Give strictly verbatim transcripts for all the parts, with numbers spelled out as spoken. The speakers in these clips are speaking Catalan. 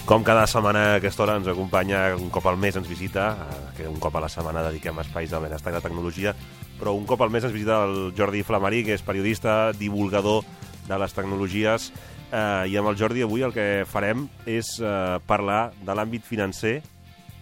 Com cada setmana a aquesta hora ens acompanya, un cop al mes ens visita, que un cop a la setmana dediquem espais del benestar i la tecnologia, però un cop al mes ens visita el Jordi Flamarí, que és periodista, divulgador de les tecnologies, eh, i amb el Jordi avui el que farem és eh, parlar de l'àmbit financer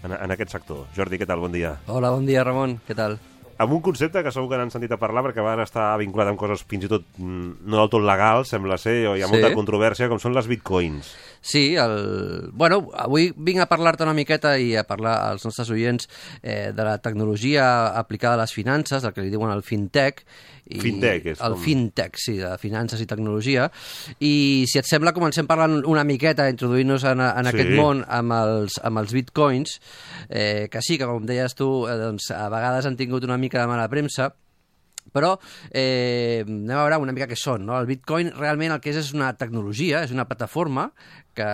en, en aquest sector. Jordi, què tal? Bon dia. Hola, bon dia, Ramon. Què tal? Amb un concepte que segur que n'han sentit a parlar, perquè va estar vinculat amb coses fins i tot no del tot legals, sembla ser, o hi ha Sí. molta controvèrsia, com són les bitcoins. Sí, el... bueno, avui vinc a parlar-te una miqueta i a parlar als nostres oients eh, de la tecnologia aplicada a les finances, el que li diuen el fintech. I Fintech, és el com... fintech, sí, de finances i tecnologia. I si et sembla, comencem parlant una miqueta, introduint-nos en, en Sí. aquest món amb els, amb els bitcoins, eh, que sí, que com deies tu, eh, doncs, a vegades han tingut una mica de mala premsa, però eh, anem a veure una mica què són, no? El Bitcoin realment el que és és una tecnologia, és una plataforma que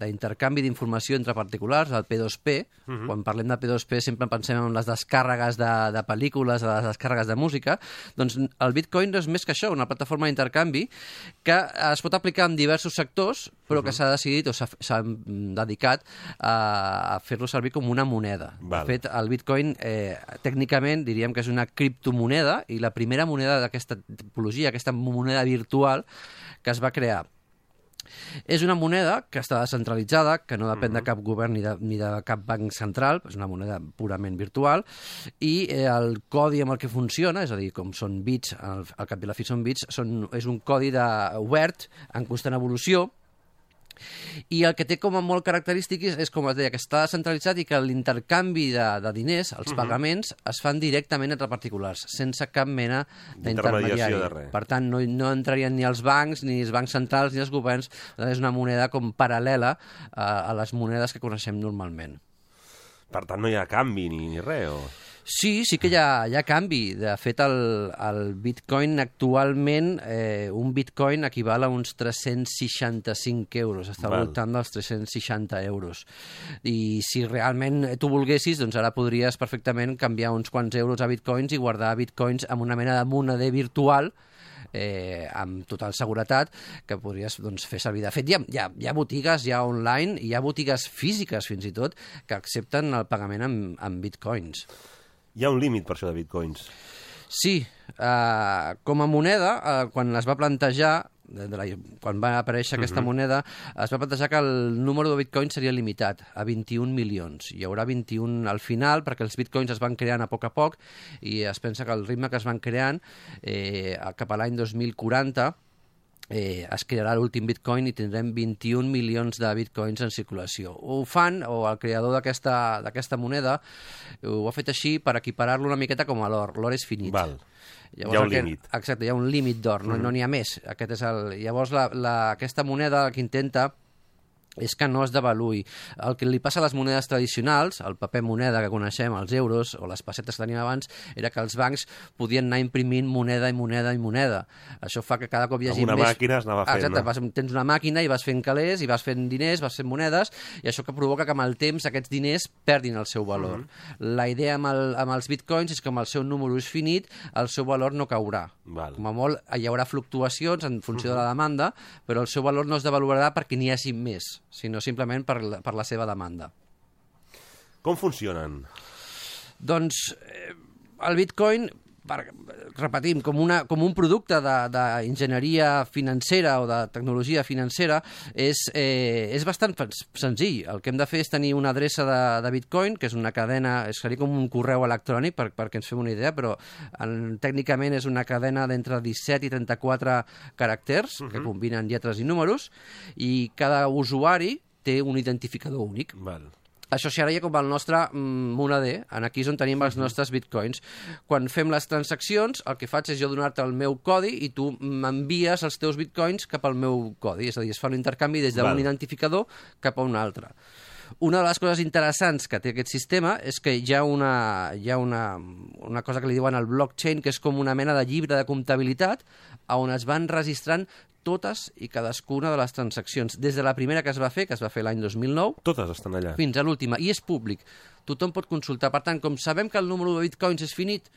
d'intercanvi d'informació entre particulars, el P dos P. Uh-huh. Quan parlem de P dos P sempre pensem en les descàrregues de, de pel·lícules, les descàrregues de música. Doncs el Bitcoin no és més que això, una plataforma d'intercanvi que es pot aplicar en diversos sectors, però uh-huh. que s'ha decidit o s'ha dedicat a, a fer-lo servir com una moneda. Val. De fet, el Bitcoin eh, tècnicament diríem que és una criptomoneda i la primera moneda d'aquesta tipologia, aquesta moneda virtual que es va crear. És una moneda que està descentralitzada, que no depèn de cap govern ni de, ni de cap banc central, és una moneda purament virtual, i eh, el codi amb el que funciona, és a dir, com són bits, al, al cap i a la fi són bits, són, és un codi de, obert, en constant evolució, i el que té com a molt característic és, és com es deia, que està descentralitzat i que l'intercanvi de, de diners, els uh-huh. pagaments, es fan directament entre particulars, sense cap mena d'intermediari. de res. Per tant, no, no entrarien ni els bancs, ni els bancs centrals, ni els governs. És una moneda com paral·lela a, a les monedes que coneixem normalment. Per tant, no hi ha canvi ni, ni res, o... Sí, sí que hi ha, hi ha canvi. De fet, el, el Bitcoin actualment, eh, un Bitcoin equival a uns tres-cents seixanta-cinc euros. Està Val. voltant dels tres-cents seixanta euros. I si realment tu volguessis, doncs ara podries perfectament canviar uns quants euros a Bitcoins i guardar Bitcoins amb una mena de moneder virtual Eh, amb total seguretat que podries doncs, fer servir. De fet, hi ha, hi, ha, hi ha botigues ja online, hi ha botigues físiques fins i tot que accepten el pagament amb, amb bitcoins. Hi ha un límit per això de bitcoins. Sí, eh, com a moneda, eh, quan es va plantejar, de, de la, quan va aparèixer aquesta uh-huh. moneda, es va plantejar que el número de bitcoins seria limitat a vint-i-un milions. Hi haurà vint-i-un al final, perquè els bitcoins es van creant a poc a poc, i es pensa que el ritme que es van creant eh, cap a l'any dos mil quaranta Eh, es crearà l'últim bitcoin i tindrem vint-i-un milions de bitcoins en circulació. Ho fan, o el creador d'aquesta d'aquesta moneda ho ha fet així per equiparar-lo una miqueta com a l'or. L'or és finit. Val. Llavors, hi ha un aquest, límit. Exacte, hi ha un límit d'or, no, mm. no n'hi ha més. Aquest és el, llavors la, la, aquesta moneda el que intenta és que no es devaluï. El que li passa a les monedes tradicionals, el paper moneda que coneixem, els euros o les pessetes que teníem abans, era que els bancs podien anar imprimint moneda i moneda i moneda. Això fa que cada cop hi hagi amb una més... màquina es anava fent, Exacte, no? vas, tens una màquina i vas fent calés, i vas fent diners, vas fent monedes, i això que provoca que amb el temps aquests diners perdin el seu valor. Mm-hmm. La idea amb, el, amb els bitcoins és que amb el seu número és finit, el seu valor no caurà. Val. Com a molt hi haurà fluctuacions en funció mm-hmm. de la demanda, però el seu valor no es devaluarà perquè n'hi hagi més, sinó simplement per la, per la seva demanda. Com funcionen? Doncs eh, el Bitcoin, per, repetim, com, una, com un producte d'enginyeria financera o de tecnologia financera, és, eh, és bastant senzill. El que hem de fer és tenir una adreça de, de Bitcoin, que és una cadena, seria com un correu electrònic, per, perquè ens fem una idea, però en, tècnicament és una cadena d'entre disset i trenta-quatre caràcters, uh-huh. que combinen lletres i números, i cada usuari té un identificador únic. Val. Això seria com el nostre mm, moneder, en aquí és on tenim els nostres bitcoins. Quan fem les transaccions, el que faig és jo donar-te el meu codi i tu m'envies els teus bitcoins cap al meu codi, és a dir, es fa un intercanvi des d'un identificador cap a un altre. Una de les coses interessants que té aquest sistema és que hi ha una, hi ha una, una cosa que li diuen el blockchain, que és com una mena de llibre de comptabilitat on es van registrant totes i cadascuna de les transaccions, des de la primera que es va fer, que es va fer l'any dos mil nou, totes estan allà, fins a l'última, i és públic. Tothom pot consultar. Per tant, com sabem que el número de bitcoins és finit,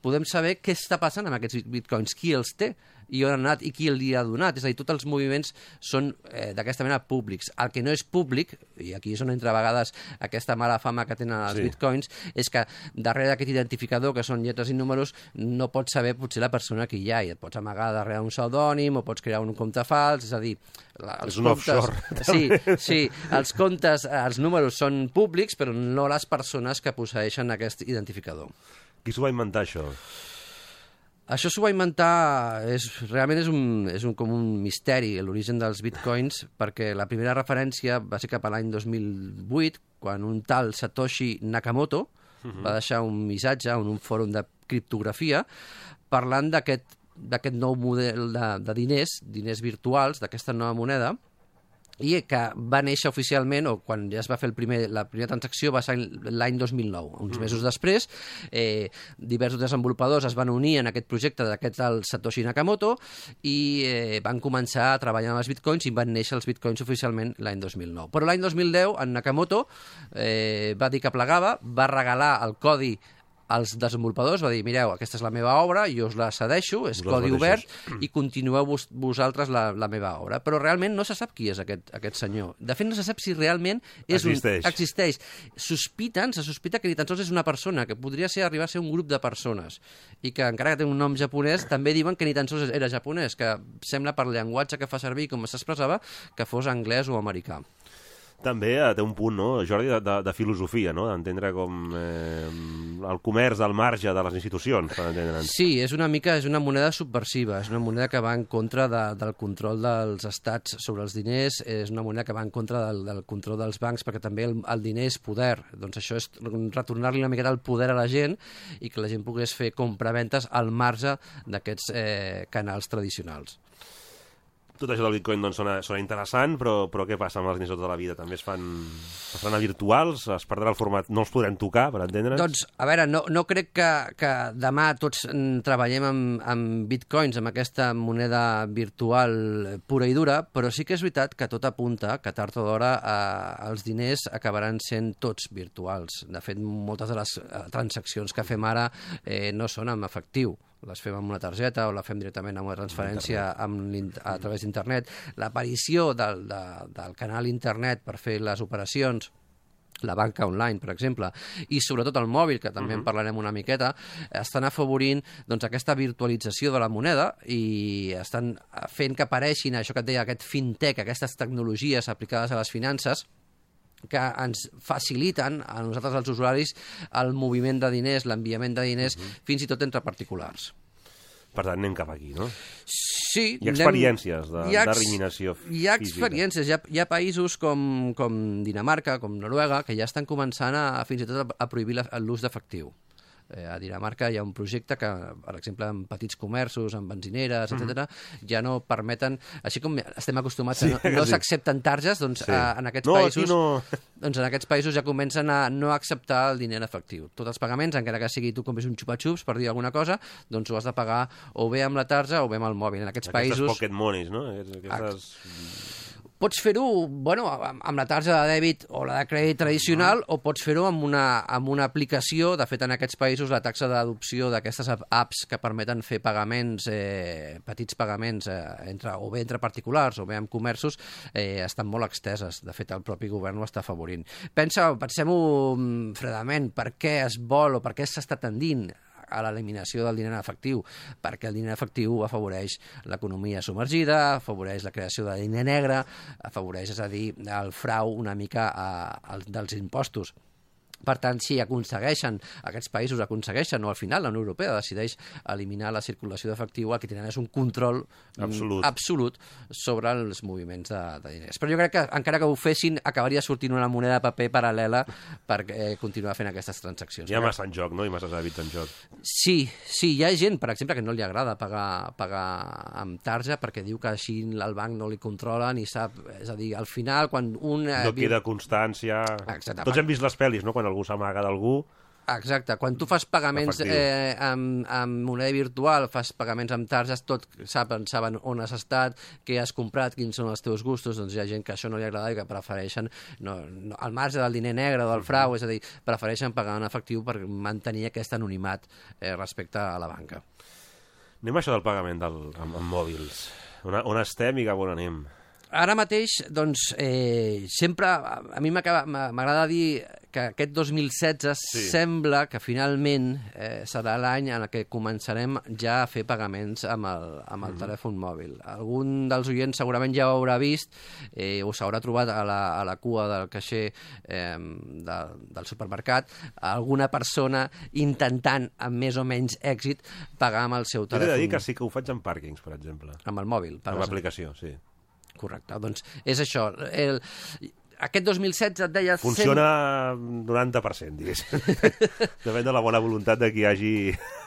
podem saber què està passant amb aquests bitcoins, qui els té i on han anat i qui li ha donat. És a dir, tots els moviments són eh, d'aquesta manera públics. El que no és públic, i aquí és on entra a vegades aquesta mala fama que tenen els sí. bitcoins, és que darrere d'aquest identificador, que són lletres i números, no pots saber potser la persona que hi ha, i et pots amagar darrere un pseudònim o pots crear un compte fals, és a dir... La, els és un comptes, offshore. Sí, sí, els comptes, els números són públics, però no les persones que posseeixen aquest identificador. Qui s'ho va inventar, això? Això s'ho va inventar, és, realment és, un, és un, com un misteri, l'origen dels bitcoins, perquè la primera referència va ser cap a l'any dos mil vuit, quan un tal Satoshi Nakamoto uh-huh. va deixar un missatge en un fòrum de criptografia parlant d'aquest d'aquest nou model de, de diners, diners virtuals, d'aquesta nova moneda, i que va néixer oficialment, o quan ja es va fer el primer, la primera transacció va ser l'any dos mil nou. Uns mesos després, eh, diversos desenvolupadors es van unir en aquest projecte d'aquest tal Satoshi Nakamoto i eh, van començar a treballar amb els bitcoins i van néixer els bitcoins oficialment l'any dos mil nou. Però l'any dos mil deu, en Nakamoto eh, va dir que plegava, va regalar el codi als desenvolupadors, va dir, mireu, aquesta és la meva obra, jo us la cedeixo, és codi obert, i continueu vos, vosaltres la, la meva obra. Però realment no se sap qui és aquest, aquest senyor. De fet, no se sap si realment és existeix. Un, existeix. Sospiten, se sospita que ni tan sols és una persona, que podria ser arribar a ser un grup de persones, i que encara que té un nom japonès, també diuen que ni tan sols era japonès, que sembla per llenguatge que fa servir, com s'expressava, que fos anglès o americà. També eh, té un punt, no, Jordi, de, de, de filosofia, no? D'entendre com eh, el comerç al marge de les institucions, per entendre'ns. Sí, és una mica, és una moneda subversiva, és una moneda que va en contra de, del control dels estats sobre els diners, és una moneda que va en contra del, del control dels bancs, perquè també el, el diner és poder. Doncs això és retornar-li una miqueta el poder a la gent i que la gent pogués fer compraventes al marge d'aquests eh, canals tradicionals. Tot això del bitcoin doncs, sona, sona interessant, però, però què passa amb els diners de tota la vida? També es fan, es fan a virtuals? Es perdrà el format? No els podrem tocar, per entendre'ns? Doncs, a veure, no, no crec que, que demà tots treballem amb, amb bitcoins, amb aquesta moneda virtual pura i dura, però sí que és veritat que tot apunta que tard o d'hora eh, els diners acabaran sent tots virtuals. De fet, moltes de les transaccions que fem ara eh, no són amb efectiu. Les fem amb una targeta o la fem directament amb una transferència amb a través d'internet. L'aparició del, de, del canal internet per fer les operacions, la banca online, per exemple, i sobretot el mòbil, que també uh-huh. en parlarem una miqueta, estan afavorint doncs, aquesta virtualització de la moneda i estan fent que apareixin això que et deia, aquest fintech, aquestes tecnologies aplicades a les finances, que ens faciliten a nosaltres, els usuaris, el moviment de diners, l'enviament de diners, uh-huh. fins i tot entre particulars. Per tant, anem cap aquí, no? Sí. Hi ha experiències de, hi ha, d'eliminació física. Hi ha experiències. Hi ha, hi ha països com, com Dinamarca, com Noruega, que ja estan començant a, fins i tot a, a prohibir la, l'ús d'efectiu. Eh, a Dinamarca hi ha un projecte que, per exemple, en petits comerços, en benzineres, mm-hmm. etcètera, ja no permeten, així com estem acostumats sí, a no, no s'accepten targes, doncs sí. a, en aquests no, països no. doncs en aquests països ja comencen a no acceptar el diner en efectiu. Tots els pagaments, encara que sigui tu compris un xupa-xups per dir alguna cosa, doncs ho has de pagar o bé amb la tarja o bé amb el mòbil. En aquests Aquestes països... pocket monies, no? Aquestes... Pots fer-ho bueno, amb la tarja de dèbit o la de crèdit tradicional o pots fer-ho amb, una, amb una aplicació. De fet, en aquests països la taxa d'adopció d'aquestes apps que permeten fer pagaments, eh, petits pagaments, eh, entre, o bé entre particulars o bé amb comerços, eh, estan molt exteses. De fet, el propi govern ho està afavorint. Pensa, pensem-ho fredament, per què es vol o per què s'està tendint a l'eliminació del diner efectiu, perquè el diner efectiu afavoreix l'economia submergida, afavoreix la creació de diner negre, afavoreix, és a dir, el frau una mica a, a, dels impostos. Per tant, si aconsegueixen, aquests països aconsegueixen, o al final la Unió Europea decideix eliminar la circulació d'efectiu, el que tenen és un control absolut, absolut sobre els moviments de, de diners. Però jo crec que encara que ho fessin, acabaria sortint una moneda de paper paral·lela per eh, continuar fent aquestes transaccions. Hi ha massa en joc, no? I massa hàbits en joc. Sí, sí, hi ha gent, per exemple, que no li agrada pagar, pagar amb tarja perquè diu que així el banc no li controla ni sap... És a dir, al final, quan un... No queda constància... Exacte. Tots hem vist les pel·lis, no?, quan algú s'amaga d'algú Exacte, quan tu fas pagaments Efectiu. eh, amb, amb moneda virtual, fas pagaments amb targes, tot saben, saben on has estat, què has comprat, quins són els teus gustos, doncs hi ha gent que això no li agrada i que prefereixen, no, no, al marge del diner negre, del frau, és a dir, prefereixen pagar en efectiu per mantenir aquest anonimat eh, respecte a la banca. Anem a això del pagament del, amb, amb mòbils. On, on estem i cap on anem? Ara mateix, doncs, eh, sempre, a mi m'agrada dir que aquest dos mil setze sí. sembla que finalment eh, serà l'any en què començarem ja a fer pagaments amb el, amb el mm. telèfon mòbil. Algun dels oients segurament ja ho haurà vist eh, o s'haurà trobat a la, a la cua del caixer eh, de, del supermercat alguna persona intentant, amb més o menys èxit, pagar amb el seu telèfon. He de dir que sí que ho faig en pàrquings, per exemple. Amb el mòbil. Amb l'aplicació, sí. Correcte, doncs és això. El, aquest dos mil setze et deia... Funciona cent... noranta per cent, diguéssim. Depèn de la bona voluntat de qui hi hagi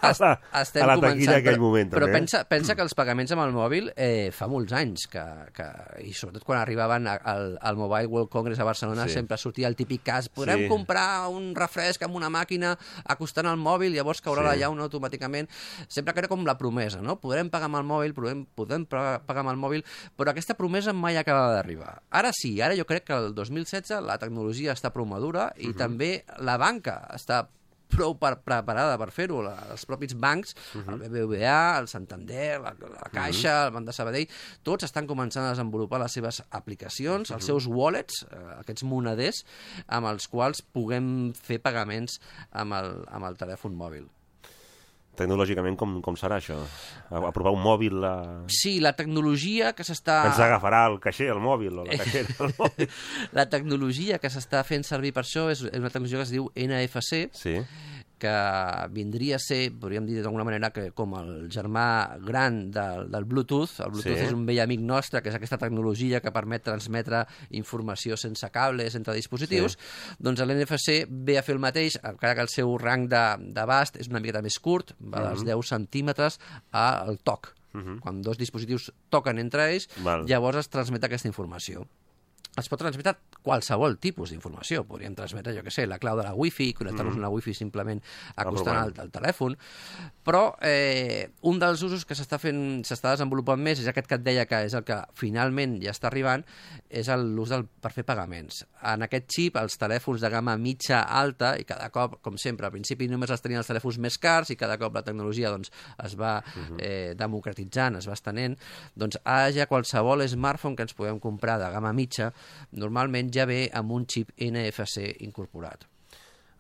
a la, a la taquilla en aquell moment. Però també. pensa, pensa que els pagaments amb el mòbil eh, fa molts anys, que, que, i sobretot quan arribaven al, al Mobile World Congress a Barcelona, sí. sempre sortia el típic cas, podrem sí. comprar un refresc amb una màquina acostant al mòbil, llavors caurà sí. la llauna automàticament. Sempre que era com la promesa, no? Podrem pagar amb el mòbil, podem, podem pagar amb el mòbil, però aquesta promesa mai acaba d'arribar. Ara sí, ara jo crec que el dos mil setze la tecnologia està prou madura i uh -huh. també la banca està prou per, preparada per fer-ho. Els propis bancs, uh -huh. el B B V A, el Santander, la, la Caixa, uh -huh. el Banc de Sabadell, tots estan començant a desenvolupar les seves aplicacions, uh -huh. els seus wallets, eh, aquests moneders, amb els quals puguem fer pagaments amb el, amb el telèfon mòbil. Tecnològicament, com, com serà això? Aprovar un mòbil... A... Sí, la tecnologia que s'està... Ens agafarà el caixer, el mòbil, o la caixera, el mòbil. La tecnologia que s'està fent servir per això és una tecnologia que es diu N F C, sí. que vindria a ser, podríem dir d'alguna manera, que com el germà gran del, del Bluetooth. El Bluetooth sí. és un vell amic nostre, que és aquesta tecnologia que permet transmetre informació sense cables entre dispositius. Sí. Doncs l'N F C ve a fer el mateix, encara que el seu rang d'abast és una miqueta més curt, va dels uh -huh. deu centímetres al toc. Uh -huh. Quan dos dispositius toquen entre ells, Val. llavors es transmet aquesta informació. Es pot transmetre qualsevol tipus d'informació. Podríem transmetre, jo què sé, la clau de la wifi, connectar-nos mm. a la wifi simplement acostant al, al telèfon. Però eh, un dels usos que s'està fent, s'està desenvolupant més, és aquest que et deia que és el que finalment ja està arribant, és l'ús per fer pagaments. En aquest xip, els telèfons de gamma mitja alta, i cada cop, com sempre, al principi només els tenien els telèfons més cars, i cada cop la tecnologia doncs, es va eh, democratitzant, es va estenent, doncs ara ja qualsevol smartphone que ens podem comprar de gamma mitja normalment ja ve amb un xip N F C incorporat.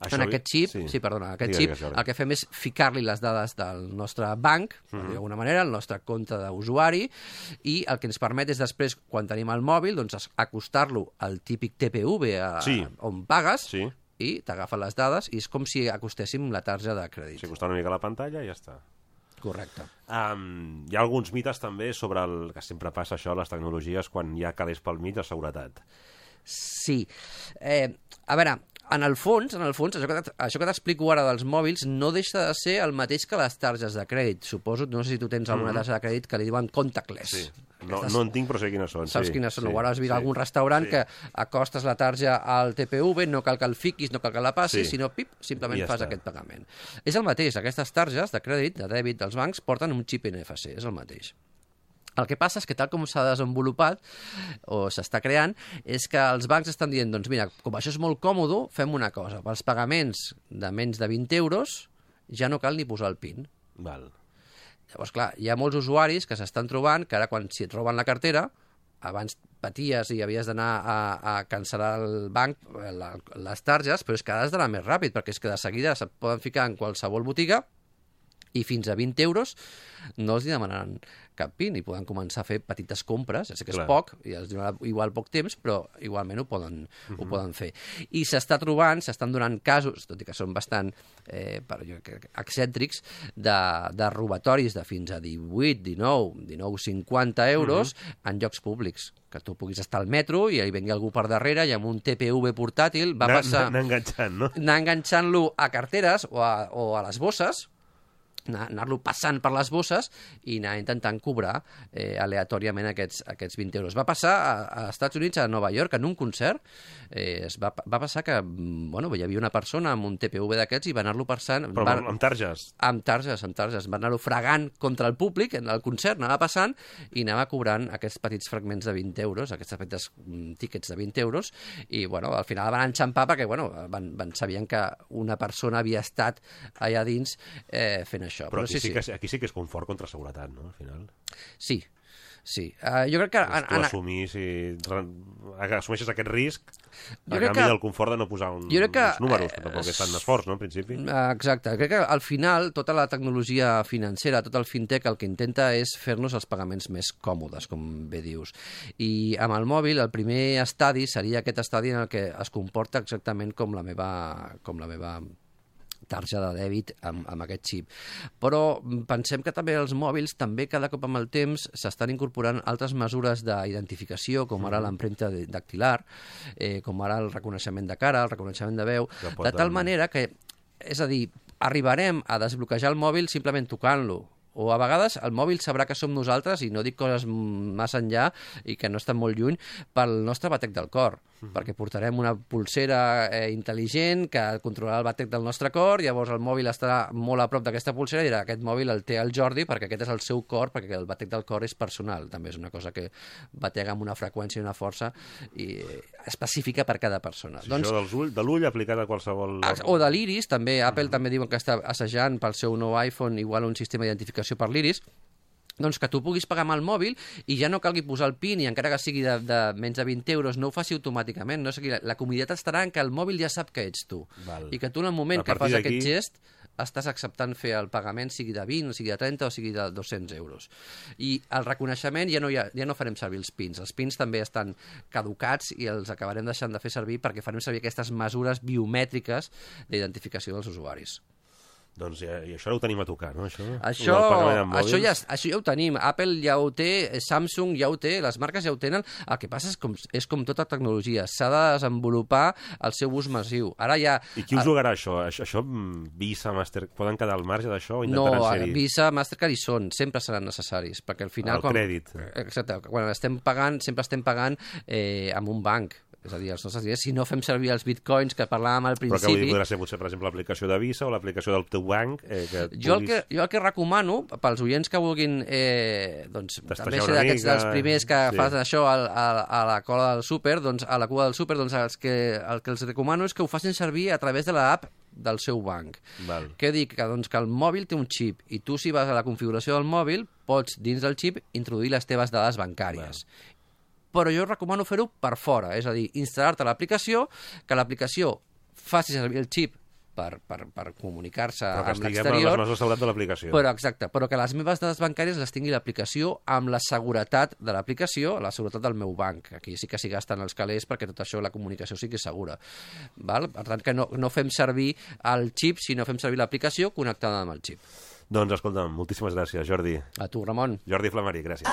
Això en aquest xip, sí. Sí, perdona, aquest xip el que fem és ficar-li les dades del nostre banc, uh -huh. d'alguna manera, el nostre compte d'usuari, i el que ens permet és després, quan tenim el mòbil, doncs acostar-lo al típic T P V a, sí. on pagues, sí. i t'agafa les dades, i és com si acostéssim la tarja de crèdit. Si acostar una mica la pantalla i ja està. Correcte. Um, hi ha alguns mites també sobre el que sempre passa això a les tecnologies quan hi ha calés pel mig de seguretat. Sí. Eh, a veure, en el fons, en el fons això que, això que t'explico ara dels mòbils no deixa de ser el mateix que les targes de crèdit. Suposo, no sé si tu tens alguna mm-hmm. tarja de crèdit que li diuen contactless. Sí. No, no en tinc, però sé quines són. Saps sí, quines són? Sí, o ara has vist sí, algun restaurant sí. que acostes la tarja al T P V, no cal que el fiquis, no cal que la passis, sí. sinó pip, simplement ja fas està. aquest pagament. És el mateix, aquestes targes de crèdit, de dèbit dels bancs, porten un xip N F C, és el mateix. El que passa és que tal com s'ha desenvolupat o s'està creant és que els bancs estan dient, doncs mira, com això és molt còmode, fem una cosa, pels pagaments de menys de vint euros ja no cal ni posar el PIN. Val. Llavors, clar, hi ha molts usuaris que s'estan trobant que ara quan si et roben la cartera, abans paties i havies d'anar a, a cancel·lar el banc, la, les targes, però és que ara has d'anar més ràpid, perquè és que de seguida se't poden ficar en qualsevol botiga i fins a vint euros no els demanaran cap PIN i poden començar a fer petites compres, ja sé que és Clar. poc, i els donarà igual poc temps, però igualment ho poden, uh-huh. ho poden fer. I s'està trobant, s'estan donant casos, tot i que són bastant eh, per, jo, excèntrics, de, de robatoris de fins a divuit, dinou, dinou, cinquanta euros uh-huh. en llocs públics, que tu puguis estar al metro i hi vengui algú per darrere i amb un T P V portàtil va passar... Anar enganxant, no? Anar enganxant-lo a carteres o a, o a les bosses, anar-lo passant per les bosses i anar intentant cobrar eh, aleatòriament aquests, aquests vint euros. Va passar a, a Estats Units, a Nova York, en un concert, eh, es va, va passar que bueno, hi havia una persona amb un T P V d'aquests i va anar-lo passant... Però va, amb, amb targes? Amb targes, amb targes. Va anar-lo fregant contra el públic, en el concert, anava passant i anava cobrant aquests petits fragments de vint euros, aquests petits tíquets de vint euros, i bueno, al final van enxampar perquè bueno, van, van, sabien que una persona havia estat allà dins eh, fent això. Però, Però aquí, sí, sí. Que, aquí sí que és confort contra seguretat, no?, al final. Sí, sí. Uh, jo crec que... És tu assumir, si assumeixes aquest risc, a canvi que, del confort de no posar un, que, uns números, que tampoc és tant d'esforç, no?, en principi. Uh, exacte. Crec que al final tota la tecnologia financera, tot el fintech, el que intenta és fer-nos els pagaments més còmodes, com bé dius. I amb el mòbil, el primer estadi seria aquest estadi en el que es comporta exactament com la meva... Com la meva tarja de dèbit amb, amb aquest xip. Però pensem que també els mòbils, també cada cop amb el temps, s'estan incorporant altres mesures d'identificació, com ara l'empremta dactilar, eh, com ara el reconeixement de cara, el reconeixement de veu, de tal manera que, és a dir, arribarem a desbloquejar el mòbil simplement tocant-lo. O a vegades el mòbil sabrà que som nosaltres, i no dic coses massa enllà i que no estan molt lluny, pel nostre batec del cor, uh-huh. perquè portarem una pulsera eh, intel·ligent que controlarà el batec del nostre cor, llavors el mòbil estarà molt a prop d'aquesta pulsera i dirà aquest mòbil el té el Jordi perquè aquest és el seu cor, perquè el batec del cor és personal, també és una cosa que batega amb una freqüència i una força i, eh, específica per cada persona. Sí, doncs, això dels ull, de l'ull aplicat a qualsevol... O de l'iris, també Apple uh-huh. també diuen que està assajant pel seu nou iPhone igual un sistema d'identificació per l'iris, doncs que tu puguis pagar amb el mòbil i ja no calgui posar el PIN i encara que sigui de, de menys de vint euros no ho faci automàticament. No sé, la, la comoditat estarà en que el mòbil ja sap que ets tu. Val. I que tu en el moment que fas aquest gest estàs acceptant fer el pagament sigui de vint, o sigui de trenta o sigui de dos-cents euros. I el reconeixement ja no, ha, ja no farem servir els pins. Els pins també estan caducats i els acabarem deixant de fer servir perquè farem servir aquestes mesures biomètriques d'identificació dels usuaris. Doncs ja, i això ho tenim a tocar, no? Això, això, això, ja, això ja ho tenim. Apple ja ho té, Samsung ja ho té, les marques ja ho tenen. El que passa és com, és com tota tecnologia. S'ha de desenvolupar el seu ús massiu. Ara ja... I qui us jugarà això? Això, això Visa, Master... Poden quedar al marge d'això o intentaran no, ser-hi? No, Visa, Mastercard hi són. Sempre seran necessaris. Perquè al final... El quan, crèdit. Exacte. Quan estem pagant, sempre estem pagant eh, amb un banc. És a dir, els nostres diners, si no fem servir els bitcoins que parlàvem al principi... Però que vull dir, podrà ser, potser, per exemple, l'aplicació de Visa o l'aplicació del teu banc... Eh, que jo, puguis... el que, jo el que recomano, pels oients que vulguin eh, doncs, també ser d'aquests dels primers que sí. fan això a, a, a la cola del súper, doncs, a la cua del súper, doncs els que, el que els recomano és que ho facin servir a través de l'app del seu banc. Val. Què dic? Que, doncs, que el mòbil té un xip i tu, si vas a la configuració del mòbil, pots, dins del xip, introduir les teves dades bancàries. Val. Però jo recomano fer-ho per fora, és a dir, instal·lar-te l'aplicació, que l'aplicació faci servir el xip per, per, per comunicar-se amb l'exterior. Però que estiguem les mesures de seguretat de l'aplicació. Però, exacte, però que les meves dades bancàries les tingui l'aplicació amb la seguretat de l'aplicació, la seguretat del meu banc. Aquí sí que s'hi gasten els calés perquè tot això, la comunicació sigui segura. Val? Per tant, que no, no fem servir el xip, sinó fem servir l'aplicació connectada amb el xip. Doncs, escolta'm, moltíssimes gràcies, Jordi. A tu, Ramon. Jordi Flamari, gràcies.